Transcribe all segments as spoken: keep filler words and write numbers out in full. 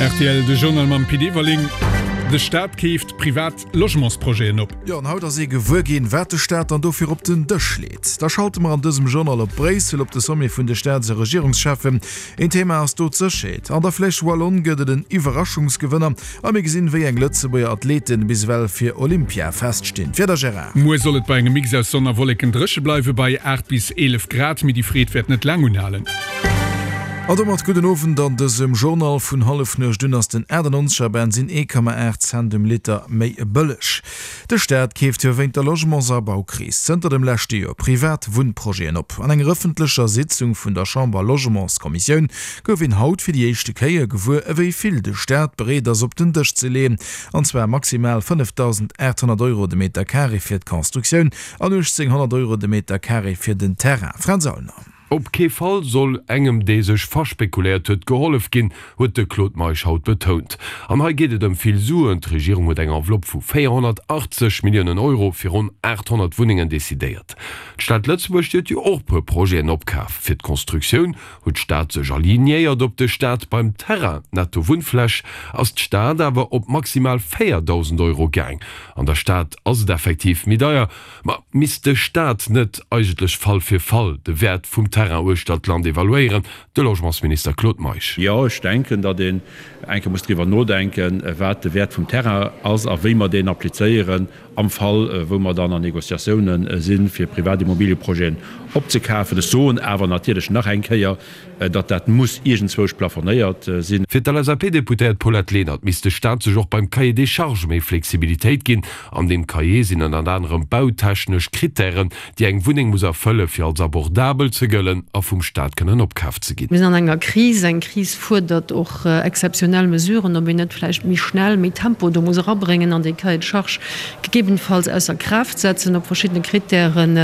Rtl, De Journal mam Pit Everling. De Staat keeft privat Logementsprojeten op. Jo, an haut ass ee gewuer ginn, wat de Staat dann dofir op den Dësch leet. Da schalte mer an dësem Journal op Bréissel op de Sommet vun de Staats a Regierungscheffen. Een Thema ass do d'Sécherheet. An der Flèche Wallonne gëtt et en Iwwerraschungsgewënner a mir gesinn, wéi eng Lëtzebuerger Athleten bis ewell fir Olympia feststinn. D'Wieder, Gérard. Muer soll et bei engem Mix aus Sonn a Wolleken dréche bleiwe bei aacht bis eelef Grad, mee déi Freed wäert net laang unhalen. An domat gudden Owend an dësem Journal. Vun Hallefnuecht un ass den achtannonzeger Bensin ee Komma aacht Cent um Liter méi bëlleg. De Staat keeft jo wéint der Logements a Baukris zënter dem leschte Joer privat Wunnprojeten op. An enger ëffentlecher Sitzung vun der Chamber-Logementskommissioun gouf een haut fir déi éischte Kéier gewuer, ewéi vill de Staat bereet ass op den Dësch ze leeën, an zwar maximal fënnefdausendaathonnert Euro de Meter Carré fir d'Constructioun an uechtzénghonnert Euro de Meter Carré fir den Terrain. Fränz Aulner. Op kee Fall soll engem, dee sech verspekuléiert huet, gehollef ginn, huet de Claude Meisch haut betount. An hei geet et ëm vill Suen. D'Regierung huet eng Enveloppe vu véierhonnertachtzeg Milliounen Euro fir ronn aathonnert Wunnengen decidéiert. D'Stad Lëtzebuerg, déi huet jo och puer Projeten opkaf. Fir d'Constructioun huet d'Stad sech alignéiert op de Staat. Beim Terrain, netto Wunnfläch, ass d'Stad awer op maximal véierdausend Euro gaang. An der Stad ass et effektiv méi deier. Ma misst de Staat net eigentlech Fall fir Fall de Wäert vum Terrain uechter d'Land evaluéieren? De Logementsminister Claude Meisch. Jo, ech denken, datt een eng Kéier muss driwwer nodenken, wat de Wäert vum Terrain ass a wéi mer deen applizéieren am Fall, wou mer dann an Négociatiounen sinn, fir privat Immobilieprojeten opzekafen. Ech soen awer natierlech nach eng Kéier, datt dat muss iergendzwousch plafonéiert sinn. Fir d'L S A P-Deputéiert Paulette Lenert misst de Staat sech och beim Cahier des charges méi Flexibilitéit ginn. An deem Cahier sinn ënnert anerem bautechnesch Krittären, déi eng Wunneng muss erfëlle fir als abordabel ze gëllen a vum Staat kënnen opkaf ze ginn. Mir sinn an enger Kris. Eng Kris fuerdert och exzeptionell Mesuren, ob een net vläicht méi schnell, méi Tempo do muss erabréngen an dee Cahier de charges gegebenenfalls ausser Kraaft setzen op verschiddene Krittären,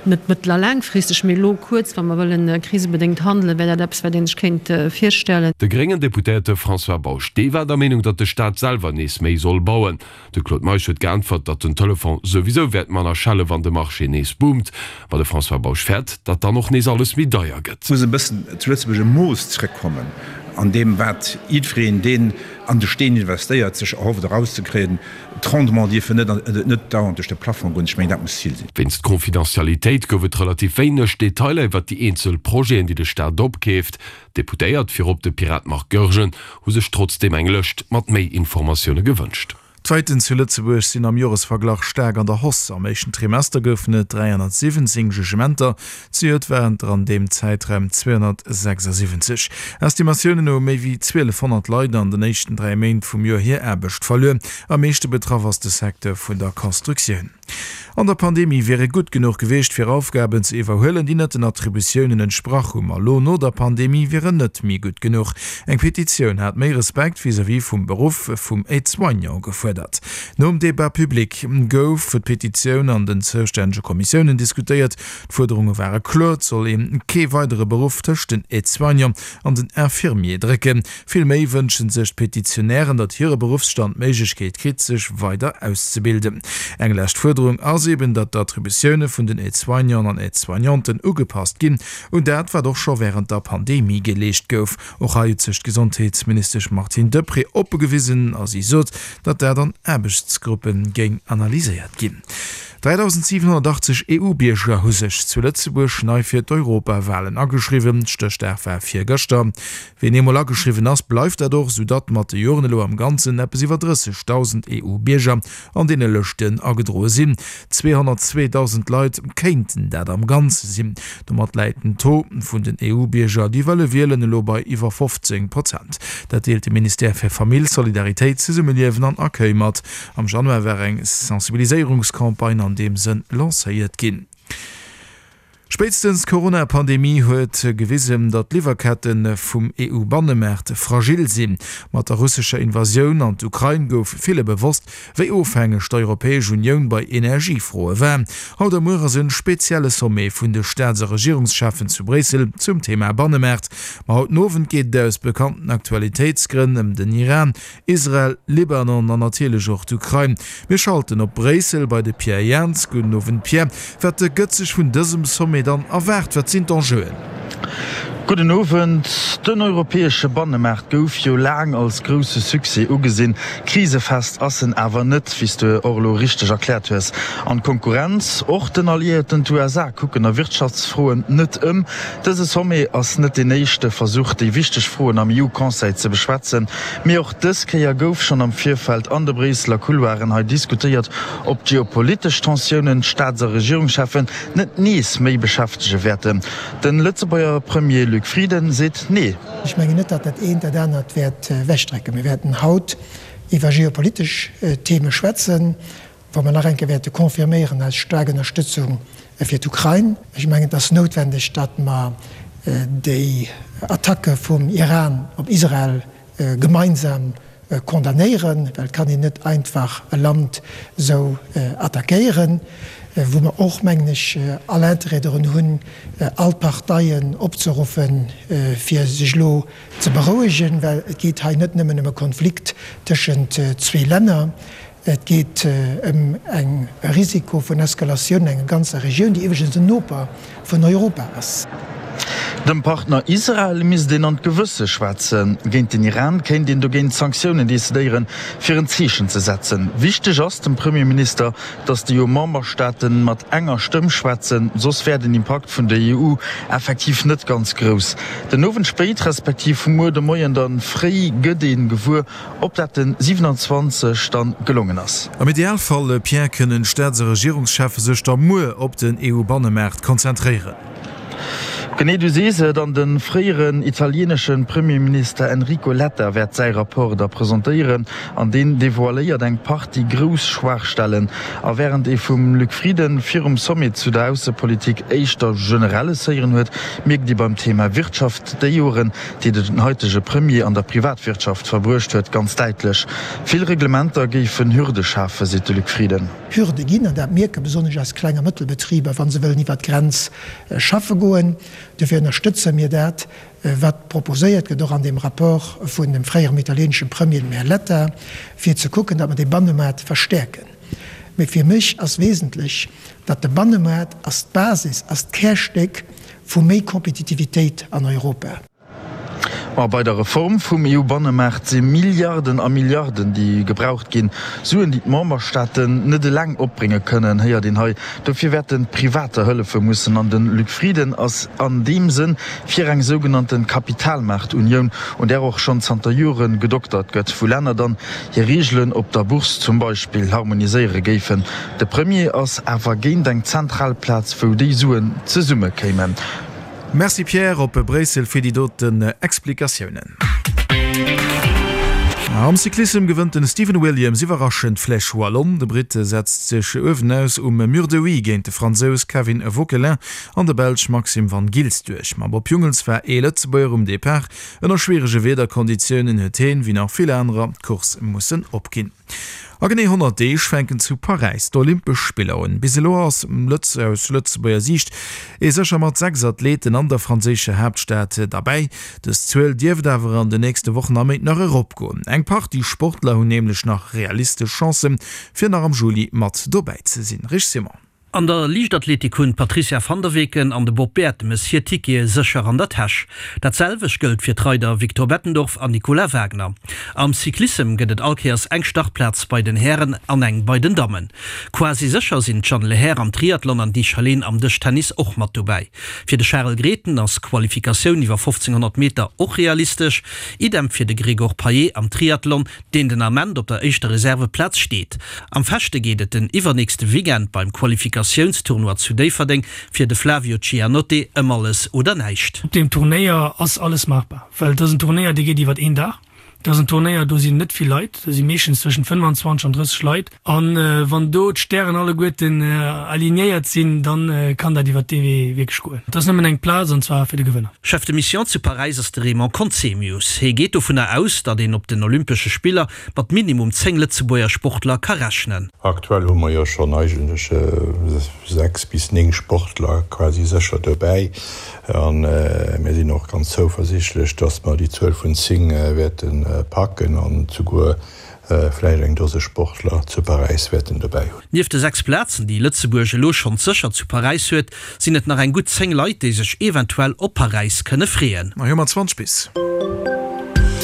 net mëttel a laangfristeg, mee elo kuerz, wa mer wëllen krisebedéngt handelen, wär dat eppes, wat ee sech kéint virstellen. De gréngen Deputéierte François Bausch, dee war der Meenung, datt de Staat selwer nees méi soll bauen. De Claude Meisch huet geäntwert, datt den Telefon souwisou wäert manner schelle wann de Marché nees boomt. Ma de François Bausch fäert, datt dann och nees alles méi deier gëtt. Et muss e bëssen zu Lëtzebuerg e Mooss zrëckkommen an deem, wat jiddwereen, deen an de Steen investéiert, sech erhofft erauszekréien. D'Rendements dierfen net net dauernd duerch de Plafond goen. Ech mengen, dat muss d'Zil sinn. Wéinst Confidentialitéit gouf et relativ wéineg Detailer iwwer déi eenzel Projeten, déi de Staat opkeeft. D'Deputéiert, virop de Pirat Marc Goergen, hu sech trotzdeem eng Lëscht mat méi Informatioune gewënscht. D'Faiten zu Lëtzebuerg sinn am Joresverglach staark an der Hausse. Am éischten Trimester goufen et dräihonnertsiwwenzéng Jugementer, zejoert waren et der an deem Zäitraum zweehonnertsechsasiwwenzeg. Estimatiounen no hu méi wéi zwielefhonnert Leit an den éischten dräi Méint vum Joer hir Aarbecht verluer. Am meeschte betraff ass de Secteur vun der Constructioun. An der Pandemie wier e gutt genuch gewiescht, fir Aufgaben ze iwwerhuelen, déi net den Attributiounen entsprach hu. Ma elo no der Pandemie wier en net méi gutt genuch. Eng Petitioun hat méi Respekt vis-à-vis vum Beruff vum Aide-soignant gefuerdert. Nom Débat public gouf d'Petitioun an den zoustännege Kommissiounen diskutéiert. D'Fuerderunge ware kloer, Et soll ee kee weidere Beruff tëscht den Aide-soignant an den Infirmier drécken. Vill méi wënsche sech d'Petitionären, datt hire Beruffsstand d'Méiglechkeet kritt, sech weider auszebilden. Eng lescht Fuerderung ass eben, datt d'Attributioune vun den Aide-soignanten an Aide-soignanten ugepasst ginn un dat, wat och scho wärend der Pandemie geleescht gouf. Och hei huet sech d'Gesondheetsministesch Martine Deprez oppe gewisen a si sot, datt dat an Aarbechtsgruppe géing analyséiert ginn. dräidausendsiwenhonnertachtzeg E U-Bierger hu sech zu Lëtzebuerg nei fir d'Europawalen ageschriwwen. Stéchdag war virgëschter. Wien eemol ageschriwwen ass, bleift dat och, soudatt mat de Joren elo am Ganzen eppes iwwer drëssegdausend E U-Bierger an deene Lëschten agedroe sinn. Zweehonnertzweedausend Leit kéinten dat am Ganze sinn. Domat läit den Taux vun den E U-Bierger, déi wëlle wielen, elo bei iwwer fofzéng Prozent. Dat deelt de Ministère fir Famill, Solidaritéit, Zesummeliewen an Accueil mat. Am Januar war eng Sensibiliséierungscampagne an deem Sënn lancéiert ginn. Spéitstens d'Corona-Pandemie huet gewisen, datt d'Liwwerkette vum E U-Bannemaart fragil sinn. Mat der russescher Invasioun an d'Ukrain gouf ville bewosst, wéi ofhängeg d'Europäesch Unioun bei Energiefroe war. Haut a muer ass e spezielle Sommet vun de Staats a Regierungscheffen zu Bréissel zum Thema Bannemaart. Ma haut den Owend geet et aus bekannten Aktualitéitsgrënn ëm den Iran, Israel, Libanon an natierlech och d'Ukrain. Mir schalten op Bréissel bei de Pierre Jans. Gudden Owend Pierre. Wat gëtt sech vun dësem Sommet dann erwaart? Wat sinn d'Enjeuen? Gudden Owend. Den europäesche Bannemaart gouf jo laang als grousse Succès ugesinn. Krisefest ass en awer net, wéi s de och elo richteg erkläert hues. An d'Konkurrenz, och den Alliéierten, d'USA, kucken a Wirtschaftsfroen net ëm. Dëse Sommet ass net deen éischte Versuch, déi wichteg Froen am EU-Conseil ze beschwätzen. Mee och dës Kéier gouf schonn am Virfeld an de Bréisseler Couloiren hei diskutéiert, ob d'geopolitesch Tensiounen d'Staats a Regierungscheffen net nees méi beschäftege wäerten. De Lëtzebuerger Premier Luc Frieden seet Nee. Ech mengen net, datt dat eent dat anert wäert ewechdrécken. Mir wäerten haut iwwer geopolitesch Theme schwätzen, wou mer nach eng Kéier wäerte confirméieren eis staark Ënnerstëtzung fir d'Ukrain. Ech mengen, et ass noutwendeg, datt mer déi Attacke vum Iran op Israel gemeinsam condamnéieren, well et kann een net einfach e Land esou attackéieren, wou mer och, mengen ech, all Interêt dorun hunn, all d'Parteien opzeruffen, fir sech elo ze berouegen, well et geet hei net nëmmen ëm e Konflikt tëschent zwee Länner. Et geet ëm eng e Risiko vun Eskalatioun an enger ganzer Regioun, déi iwwregens en Noper vun Europa ass. Dem Partner Israel misst een an d'Gewësse schwätzen. Géint den Iran kéint een dogéint Sanktiounen decidéieren, fir en Zeechen ze setzen. Wichteg ass dem Premierminister, datt déi EU-Memberstaate mat enger Stëmm schwätzen, soss wär den Impakt vun der EU effektiv net ganz grouss. Den Owend spéit, respektiv muer de Moien dann fréi gëtt ee gewuer, Ob dat den siwenanzwanzeg dann gelongen ass? Am Idealfall, Pierre, kënnen d'Staats a Regierungscheffe sech da muer op den EU-Bannemaart konzentréieren. Genee, du sees et, an de fréieren italienesche Premierminister Enrico Letta wäert säi Rapport da presentéieren, an deen devoiléiert eng Partie grouss Schwaachstellen. A wärend ee vum Luc Frieden virum Sommet zu der Aussepolitik éischter Generelles héieren huet, mierkt ee beim Thema Wirtschaft déi Joren, déi den haitege Premier an der Privatwirtschaft verbruecht huet, ganz däitlech. Vill Reglementer géifen Hürde schafen, seet de Luc Frieden. Hürde ginn, an dat mierke besonnesch eis Kleng a Mëttelbetriber, wa se wëllen iwwert d'Grenz schaffe goen. Dofir ënnerstëtze mir dat, wat proposéiert gëtt, och an deem Rapport vun dem fréierem italieeneschem Premier, dem Här Letta, fir ze kucken, datt mer dee Bannemaart verstäerken. Mee fir mech ass wesentlech, datt de Bannemaart ass d'Basis, ass d'Kärstéck vu méi Kompetitivitéit an Europa. Ma bei der Reform vum EU-Bannemaart si Milliarden a Milliarden, déi gebraucht ginn. Suen, déi d'Memberstaaten net eleng opbrénge kënnen, héiert een hei. Dofir wäerten d'Privater hëllefe mussen. An de Luc Frieden ass an deem Sënn fir eng sougenannte Kapitalmaartunioun, un där och schonn zanter Jore gedoktert gëtt, wou Länner dann hir Reegelen op der Bourse zum Beispill harmoniséiere géifen. De Premier ass awer géint eng zentral Plaz, wou déi Suen zesummekéimen. Merci Pierre, op Bréissel fir déi doten Explikatiounen. Am Cyclissem gewënnt den Stephen Williams iwwerraschend d'Flèche Wallonne. De Britt setzt sech uewenaus um Mur de Huy géint de Fransous Kevin Vauquelin an de Belsch Maxim Van Gils duerch. Mam Bob Jungels war ee Lëtzebuerger um Depart. Ënner schwierege Wiederkonditiounen huet heen, wéi nach vill anerer, d'Course mussen opginn. A genee honnert Deeg fänken zu Paräis d'Olympesch Spiller un. Bis elo ass aus Lëtzebuerger Siicht ee sécher mat sechs Athleten an der franséischer Haaptstad derbäi. Dës Zuel dierft awer an den nächste Wochen a Méint nach eropgoen. Eng Partie Sportler hunn nämlech nach realistesch Chancen, fir nach am Juli mat dobäi ze sinn. Rich Simon. An der Liichtathletik hunn d'Patrizia van der Weken an de Bob Bertemes hir Tickete sécher an der Täsch. Dat selwecht gëllt fir d'Reider Victor Bettendorf an Nicolas Wagner. Am Cyclissem gëtt et all Kéiers eng Startplaz bei den Hären an eng bei den Dammen. Quasi sécher sinn d'Jeanne Lehair am Triathlon an d'Yves Chalén am Dëschtennis och mat dobäi. Fir de Charel Grethen ass d'Qualifikatioun iwwer fofzénghonnert Meter och realistesch. Idem fir de Gregor Payet am Triathlon, deen den Ament op der éischter Reserveplaz steet. Am Fechte geet et den iwwernächste Weekend beim Qualifikatiounstournoi zu Déifferdeng fir de Flavio Cianotte ëm alles oder näischt. Op deem Turnéier ass alles maachbar, well et ass en Turnéier, dee geet iwwert een Dag. Et ass en Turnéier, do sinn net vill Leit, do si meeschtens zwëschent fënnwanzwanzeg an drësseg Leit. A wann do d'Stären alleguerten alignéiert sinn, da kann dat iwwert dee Wee wierklech goen. Et ass nëmmen eng Plaz, an zwar fir de Gewënner. Chef de Mission zu Paräis ass de Raymond Conzemius. Hie geet dovunner aus, datt een op den Olympesche Spiller mat minimum zéng Lëtzebuerger Sportler ka rechnen. Aktuell hu mer jo schonn eigentlech sechs bis néng Sportler quasi sécher dobäi. A mir sinn och ganz zouversichtlech, datt mer déi Zuel vun zéng wäerte packen an souguer vläicht eng Dose Sportler zu Paräis wäerten dobäi hunn. Nieft de sechs Plazen, déi Lëtzebuerg elo schonns sécher zu Paräis huet, sinn et nach eng gutt zéng Leit, déi sech eventuell op Paräis kënne freeën. Hei hu mer zwanzeg bis.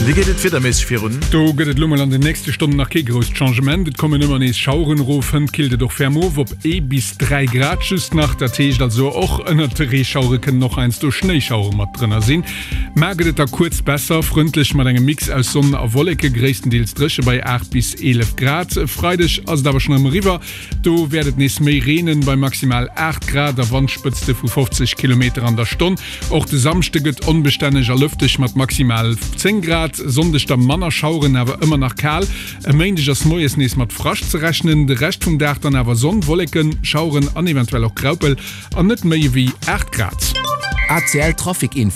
Wéi geet et wiederméisseg virun? Do gëtt et elo mol an den nächste Stonnen nach kee grousst Changement. Et kommen ëmmer nees Schaueren erof, hënt killt et och ferm of op ee bis dräi Grad just nach. Dat heescht also, och ënnert de Reeschauere kënnen och heiansdo Schnéischauere mat drënner sinn. Mar gëtt et da kuerz besser, frëndlech mat engem Mix aus Sonn a Wolleke, gréisstendeels dréche bei aacht bis eelef Grad. E Freideg ass et awer schonn erëm eriwwer, do wäert et nees méi reenen, bei maximal aacht Grad a Wandspëtzte vu fofzeg Kilometer an der Stonn. Och de Samschde gëtt onbestänneg a lëfteg mat maximal zéng Grad. Sonndeg da manner Schaueren, awer ëmmer nach kal. E Méindeg ass moies nees mat Frascht ze rechnen, de Rescht vum Dag dann awer Sonn, Wolleken, Schaueren an eventuell och Graupel an net méi ewéi aacht Grad. ACL Trafic Info.